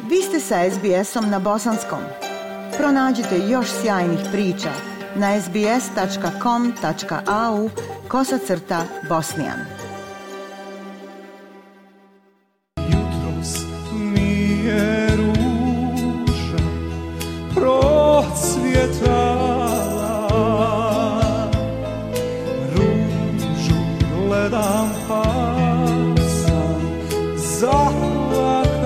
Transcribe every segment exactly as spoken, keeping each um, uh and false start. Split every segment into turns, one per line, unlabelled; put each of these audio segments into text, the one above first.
Vi ste sa es be esom na bosanskom. Pronađite još sjajnih priča na es be es tačka com tačka a u kosacrta bosnijan.
Jutros mi je ruža procvjetala, ružu gledam pa sam zaplakala.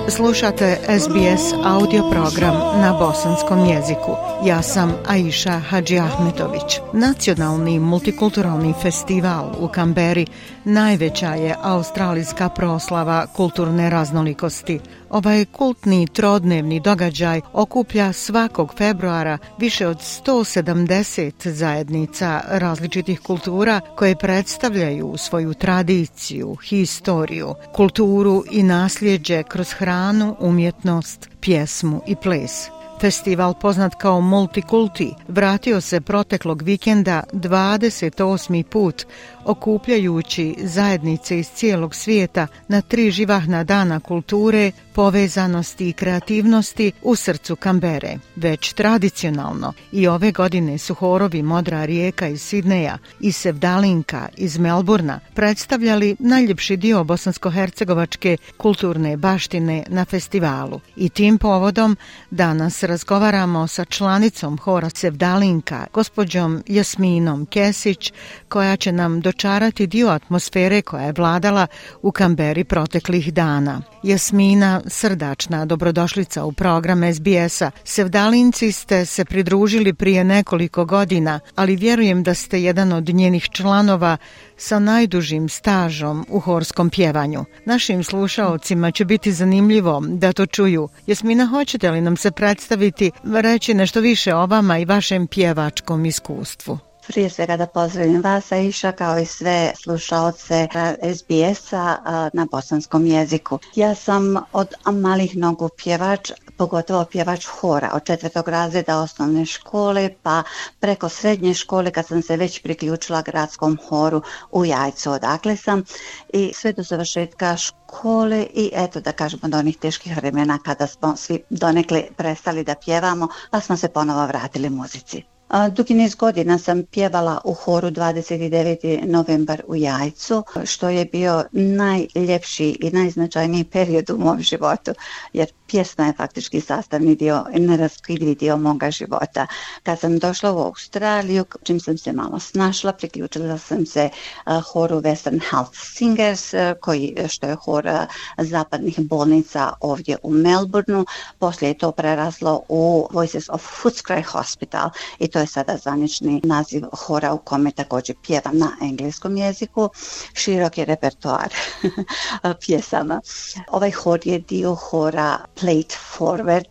Slušate es be es audio program na bosanskom jeziku. Ja sam Aisha Hadžiahmetović. Nacionalni multikulturalni festival u Kamberi najveća je australijska proslava kulturne raznolikosti. Ovaj kultni trodnevni događaj okuplja svakog februara više od sto sedamdeset zajednica različitih kultura koje predstavljaju svoju tradiciju, historiju, kulturu i nasljeđe kroz hranu, umjetnost, pjesmu i ples. Festival, poznat kao Multikulti, vratio se proteklog vikenda dvadeset osmi put, okupljajući zajednice iz cijelog svijeta na tri živahna dana kulture, povezanosti i kreativnosti u srcu Kambere. Već tradicionalno i ove godine su horovi Modra rijeka iz Sidneja i Sevdalinka iz Melburna predstavljali najljepši dio bosansko-hercegovačke kulturne baštine na festivalu. I tim povodom danas razgovaramo sa članicom hora Sevdalinka, gospođom Jasminom Kesić, koja će nam dočarati dio atmosfere koja je vladala u Kamberi proteklih dana. Jasmina, srdačna dobrodošlica u program es be es-a. Sevdalinci ste se pridružili prije nekoliko godina, ali vjerujem da ste jedan od njenih članova sa najdužim stažom u horskom pjevanju. Našim slušaocima će biti zanimljivo da to čuju. Jasmina, hoćete li nam se predstaviti, reći nešto više o vama i vašem pjevačkom iskustvu?
Prije svega da pozdravim vas, Aisha, kao i sve slušaoce es be es-a na bosanskom jeziku. Ja sam od malih nogu pjevač, pogotovo pjevač hora, od četvrtog razreda osnovne škole pa preko srednje škole kad sam se već priključila gradskom horu u Jajcu, odakle sam, i sve do završetka škole i eto da kažemo do onih teških vremena kada smo svi donekle prestali da pjevamo pa smo se ponovo vratili muzici. Dugi niz godina sam pjevala u horu dvadeset deveti novembar u Jajcu, što je bio najljepši i najznačajniji period u mom životu, jer pjesma je faktički sastavni dio, neraskidivi dio moga života. Kad sam došla u Australiju, čim sam se malo snašla, priključila sam se uh, horu Western Health Singers, uh, koji, što je hor uh, zapadnih bolnica ovdje u Melbourneu. Poslije je to preraslo u Voices of Footscray Hospital i to je sada zvanični naziv hora u kome također pjevam na engleskom jeziku. Širok je repertoar pjesama. Ovaj hor je dio hora Plate Forward,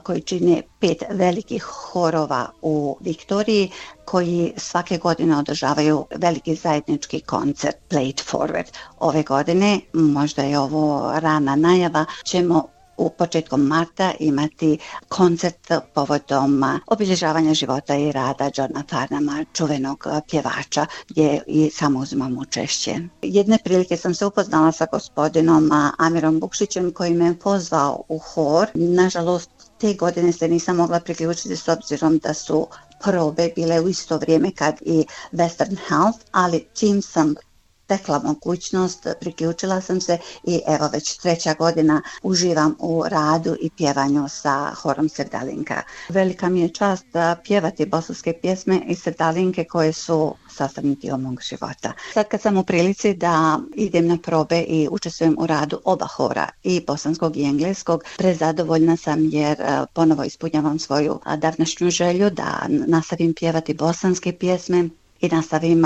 koji čine pet velikih horova u Viktoriji, koji svake godine održavaju veliki zajednički koncert Plate Forward. Ove godine, možda je ovo rana najava, ćemo u početkom marta imati koncert povodom obilježavanja života i rada Johna Farnhama, čuvenog pjevača, gdje i samo uzimam učešće. Jedne prilike sam se upoznala sa gospodinom Amirom Bukšićem koji me pozvao u hor. Nažalost, te godine se nisam mogla priključiti s obzirom da su probe bile u isto vrijeme kad i Western Health, ali čim sam tekla mogućnost, priključila sam se i evo već treća godina uživam u radu i pjevanju sa horom Sevdalinka. Velika mi je čast da pjevati bosanske pjesme i Sevdalinke koje su sastavni dio mog života. Sad kad sam u prilici da idem na probe i učestvujem u radu oba hora, i bosanskog i engleskog, prezadovoljna sam jer ponovo ispunjavam svoju davnašnju želju da nastavim pjevati bosanske pjesme i nastavim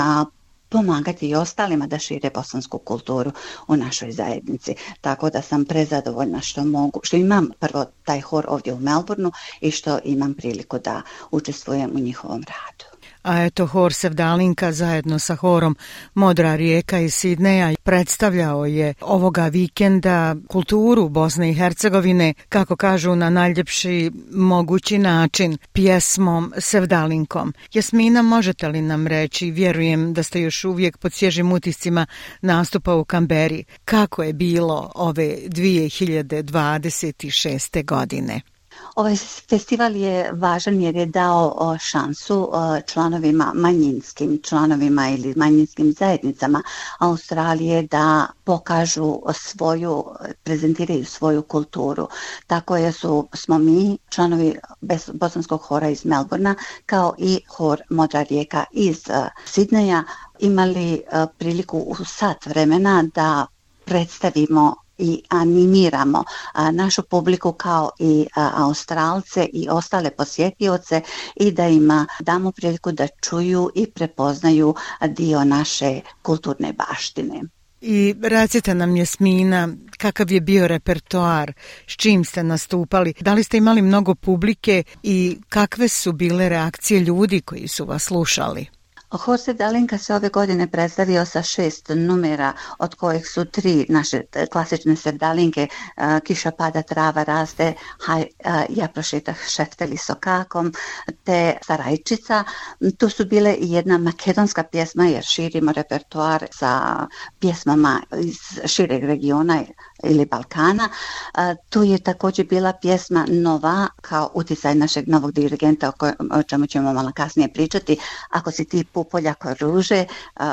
pomagati i ostalima da šire bosansku kulturu u našoj zajednici. Tako da sam prezadovoljna što mogu, što imam prvo taj hor ovdje u Melbourneu i što imam priliku da učestvujem u njihovom radu.
a eto hor Sevdalinka zajedno sa horom Modra rijeka iz Sidneja predstavljao je ovoga vikenda kulturu Bosne i Hercegovine, kako kažu, na najljepši mogući način, pjesmom Sevdalinkom. Jasmina, možete li nam reći, vjerujem da ste još uvijek pod svježim utiscima nastupa u Kamberi, kako je bilo ove dvije hiljade dvadeset šeste godine?
Ovaj festival je važan jer je dao šansu članovima, manjinskim članovima ili manjinskim zajednicama Australije da pokažu svoju, prezentiraju svoju kulturu. Tako je su, smo mi, članovi bosanskog hora iz Melbourna, kao i hor Modra rijeka iz Sidneja, imali priliku u sat vremena da predstavimo i animiramo a, našu publiku kao i a, Australce i ostale posjetioce i da im damo priliku da čuju i prepoznaju dio naše kulturne baštine.
I recite nam, Jasmina, kakav je bio repertoar, s čim ste nastupali, da li ste imali mnogo publike i kakve su bile reakcije ljudi koji su vas slušali?
Hor Sevdalinka se ove godine predstavio sa šest numera, od kojih su tri naše klasične Sevdalinke, Kiša pada, trava raste, Haj, ja prošetah šefteli sokakom, te Sarajčica. Tu su bile i jedna makedonska pjesma, jer širimo repertoar sa pjesmama iz šireg regiona ili Balkana. Tu je također bila pjesma Nova, kao uticaj našeg novog dirigenta, o, koj, o čemu ćemo malo kasnije pričati, Ako si ti Pupoljako ruže,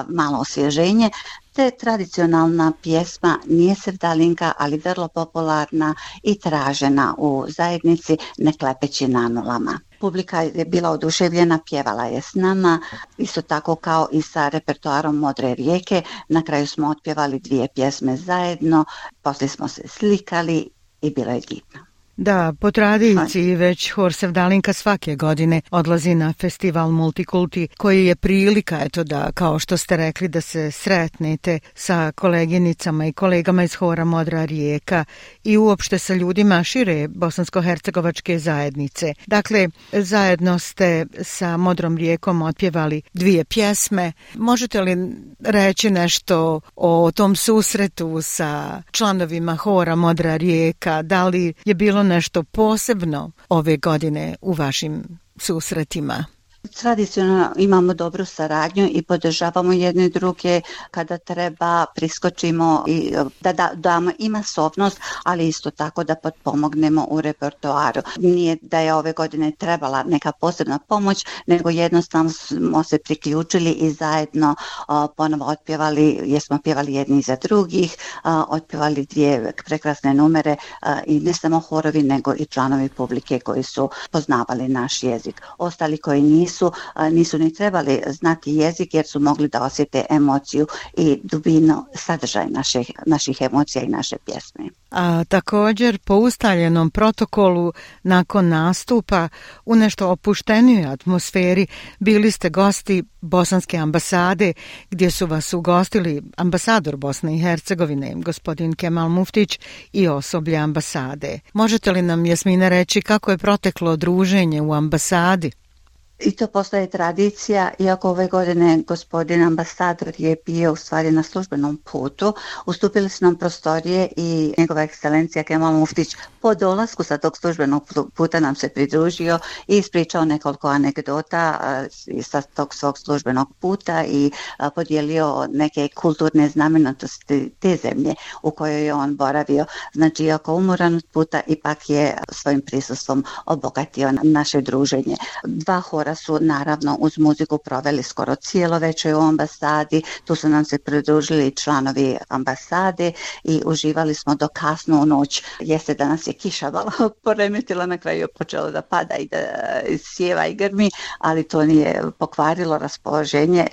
malo osvježenje, te tradicionalna pjesma Nije Sevdalinka, ali vrlo popularna i tražena u zajednici, Ne klepeći na nulama. Publika je bila oduševljena, pjevala je s nama, isto tako kao i sa repertoarom Modre rijeke. Na kraju smo otpjevali dvije pjesme zajedno, poslije smo se slikali i bilo je divno.
Da, po tradiciji već hor Sevdalinka svake godine odlazi na festival Multikulti, koji je prilika, eto da, kao što ste rekli, da se sretnete sa koleginicama i kolegama iz hora Modra rijeka i uopšte sa ljudima šire bosansko-hercegovačke zajednice. Dakle, zajedno ste sa Modrom rijekom otpjevali dvije pjesme. Možete li reći nešto o tom susretu sa članovima hora Modra rijeka? Da li je bilo nešto posebno ove godine u vašim susretima?
Tradicionalno imamo dobru saradnju i podržavamo jedne druge kada treba, priskočimo i da, da damo i masovnost, ali isto tako da potpomognemo u repertoaru. Nije da je ove godine trebala neka posebna pomoć, nego jednostavno smo se priključili i zajedno o, ponovo otpjevali, jer smo pjevali jedni za drugih, o, otpjevali dvije prekrasne numere o, i ne samo horovi, nego i članovi publike koji su poznavali naš jezik. Ostali koji nisu Nisu, nisu ni trebali znati jezik jer su mogli da osjete emociju i dubinu, sadržaj naših, naših emocija i naše pjesme.
A također po ustaljenom protokolu nakon nastupa u nešto opuštenijoj atmosferi bili ste gosti Bosanske ambasade, gdje su vas ugostili ambasador Bosne i Hercegovine, gospodin Kemal Muftić, i osoblje ambasade. Možete li nam, Jasmina, reći kako je proteklo druženje u ambasadi?
I to postaje tradicija, iako ove godine gospodin ambasador je bio u stvari na službenom putu. Ustupili su nam prostorije i njegova ekscelencija Kemal Muftić po dolasku sa tog službenog puta nam se pridružio i ispričao nekoliko anegdota sa tog svog službenog puta i podijelio neke kulturne znamenitosti te zemlje u kojoj je on boravio. Znači, iako umoran od puta, ipak je svojim prisustvom obogatio naše druženje. Dva hora su naravno uz muziku proveli skoro cijelo večer u ambasadi, tu su nam se pridružili članovi ambasade i uživali smo do kasno u noć. Jeste da nas je kiša malo poremetila, na kraju je počelo da pada i da sjeva i grmi, ali to nije pokvarilo raspoloženje,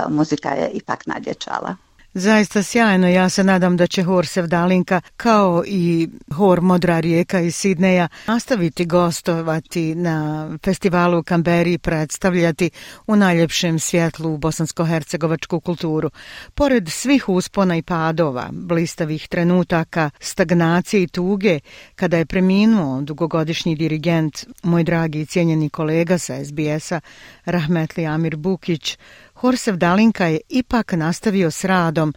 muzika je ipak nadječala.
Zaista sjajno, ja se nadam da će hor Sevdalinka kao i hor Modra rijeka iz Sidneja nastaviti gostovati na festivalu u Kamberi i predstavljati u najljepšem svjetlu bosansko-hercegovačku kulturu. Pored svih uspona i padova, blistavih trenutaka, stagnacije i tuge, kada je preminuo dugogodišnji dirigent, moj dragi i cijenjeni kolega sa es be es-a, rahmetli Amir Bukić, hor Sevdalinka je ipak nastavio s radom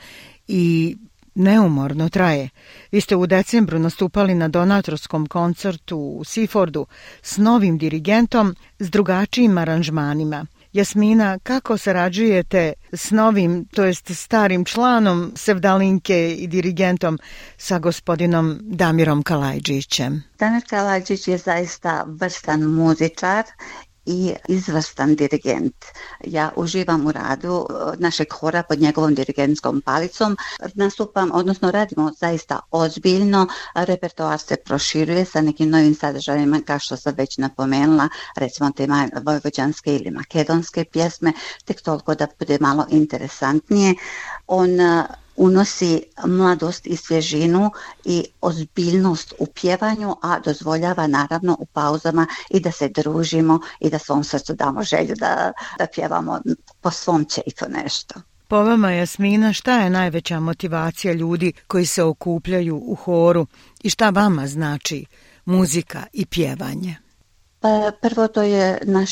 i neumorno traje. Vi ste u decembru nastupali na donatorskom koncertu u Seafordu s novim dirigentom, s drugačijim aranžmanima. Jasmina, kako sarađujete s novim, to jest starim članom Sevdalinke i dirigentom sa gospodinom Damirom Kalajđićem?
Damir Kalajđić je zaista vrstan muzičar i izvrstan dirigent. Ja uživam u radu našeg hora pod njegovom dirigentskom palicom. Nastupam, odnosno radimo zaista ozbiljno. Repertoar se proširuje sa nekim novim sadržajima, kao što sam već napomenula, recimo te vojvođanske ili makedonske pjesme, tek toliko da bude malo interesantnije. On unosi mladost i svježinu i ozbiljnost u pjevanju, a dozvoljava naravno u pauzama i da se družimo i da svom srcu damo želju da, da pjevamo po svom čeifu nešto.
Po vama, Jasmina, šta je najveća motivacija ljudi koji se okupljaju u horu i šta vama znači muzika i pjevanje?
Pa prvo to je naš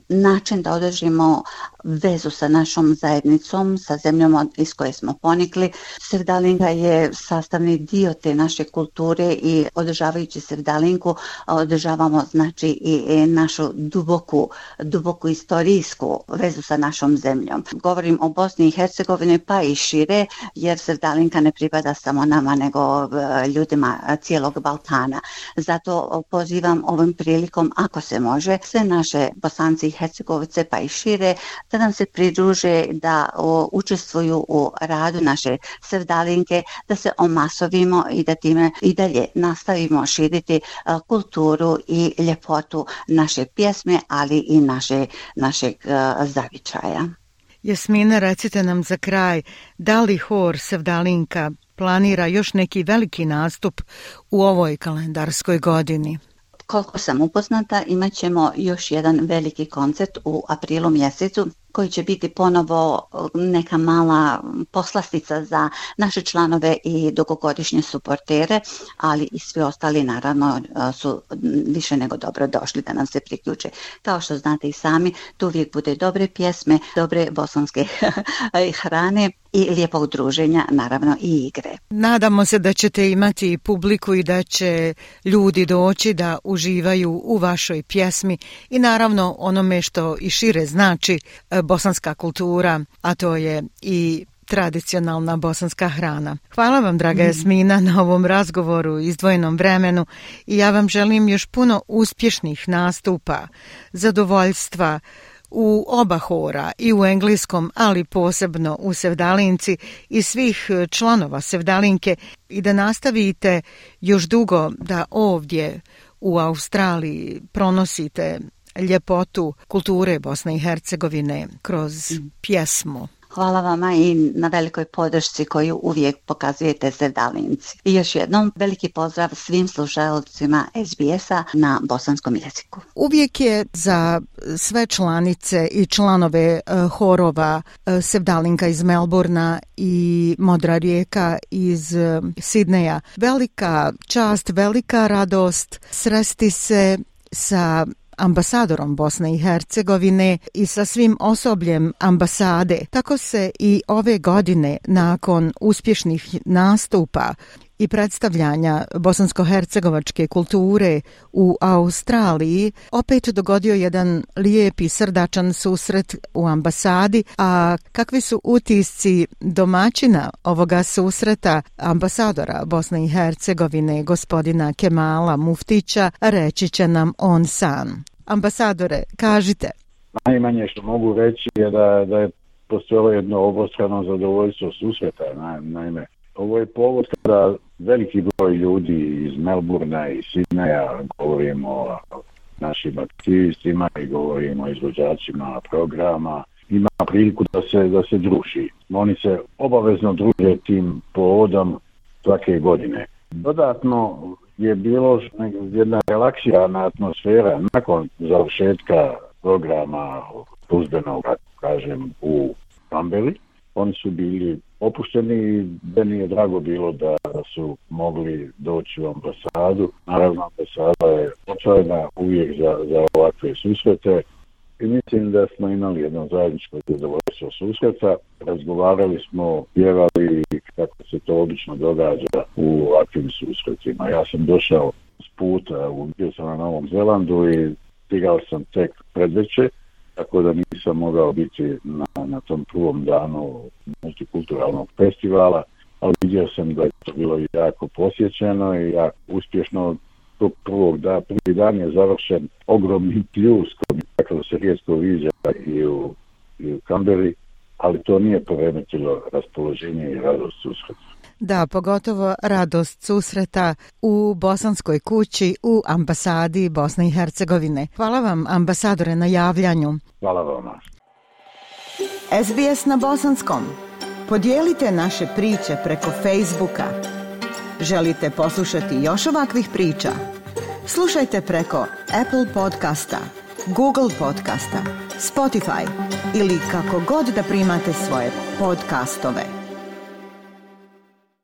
način da održimo vezu sa našom zajednicom, sa zemljom iz koje smo ponikli. Sevdalinka je sastavni dio te naše kulture i održavajući Sevdalinku održavamo znači i našu duboku, duboku istorijsku vezu sa našom zemljom. Govorim o Bosni i Hercegovini pa i šire, jer Sevdalinka ne pripada samo nama nego ljudima cijelog Balkana. Zato pozivam ovom prilikom, ako se može, sve naše Bosanci i Hercegovice pa i šire da nam se pridruže, da o, učestvuju u radu naše Sevdalinke, da se omasovimo i da time i dalje nastavimo širiti a, kulturu i ljepotu naše pjesme, ali i naše, našeg a, zavičaja.
Jasmina, recite nam za kraj, da li hor Sevdalinka planira još neki veliki nastup u ovoj kalendarskoj godini?
Koliko sam upoznata, imat ćemo još jedan veliki koncert u aprilu mjesecu koji će biti ponovo neka mala poslastica za naše članove i dugogodišnje suportere, ali i svi ostali naravno su više nego dobro došli da nam se priključe. Kao što znate i sami, tu uvijek bude dobre pjesme, dobre bosanske hrane i lijepog druženja, naravno i igre.
Nadamo se da ćete imati publiku i da će ljudi doći da uživaju u vašoj pjesmi i naravno onome što i šire znači bosanska kultura, a to je i tradicionalna bosanska hrana. Hvala vam, draga Jasmina, na ovom razgovoru i izdvojenom vremenu i ja vam želim još puno uspješnih nastupa, zadovoljstva u oba hora, i u engleskom, ali posebno u Sevdalinci i svih članova Sevdalinke, i da nastavite još dugo da ovdje u Australiji pronosite ljepotu kulture Bosne i Hercegovine kroz pjesmu.
Hvala vama i na velikoj podršci koju uvijek pokazujete Sevdalinci. I još jednom veliki pozdrav svim slušalcima es be es-a na bosanskom jeziku.
Uvijek je za sve članice i članove uh, horova uh, Sevdalinka iz Melbourna i Modra rijeka iz uh, Sidneja velika čast, velika radost sresti se sa ambasadorom Bosne i Hercegovine i sa svim osobljem ambasade. Tako se i ove godine, nakon uspješnih nastupa i predstavljanja bosansko-hercegovačke kulture u Australiji, opet dogodio jedan lijep i srdačan susret u ambasadi. A kakvi su utisci domaćina ovoga susreta, ambasadora Bosne i Hercegovine, gospodina Kemala Muftića, reći će nam on sam. Ambasadore, kažite.
Najmanje što mogu reći je da, da je postojalo jedno obostrano zadovoljstvo susreta. Naime, ovo je povod kada veliki broj ljudi iz Melbourna i Sidneja, govorimo o našim aktivistima i govorimo o izvođačima programa ima priliku da se, da se druži. Oni se obavezno druže tim povodom svake godine. Dodatno je bilo jedna relaksirana atmosfera nakon završetka programa službenog, kažem, u Kamberi. Oni su bili opušteni i meni je drago bilo da su mogli doći u ambasadu. Naravno, ambasada je otvorena uvijek za, za ovakve susrete i mislim da smo imali jedno zajedničko zadovoljstvo susreta. Razgovarali smo, pjevali kako se to obično događa u ovakvim susretima. Ja sam došao s puta, bio sam na Novom Zelandu i stigao sam tek predveče, tako da nisam mogao biti na, na tom prvom danu multikulturalnog festivala, ali vidio sam da je to bilo jako posjećeno i jako uspješno. Tog prvog da, prvi dan je završen ogromni pljus koji tako se rijetko viđa i u, i u Kamberi, ali to nije poremetilo raspoloženje i radost susreta.
Da, pogotovo radost susreta u Bosanskoj kući u ambasadi Bosne i Hercegovine. Hvala vam, ambasadore, na javljanju.
Hvala vam.
S B S na bosanskom. Podijelite naše priče preko Facebooka. Želite poslušati još ovakvih priča? Slušajte preko Apple podcasta, Google podcasta, Spotify ili kako god da primate svoje podcastove.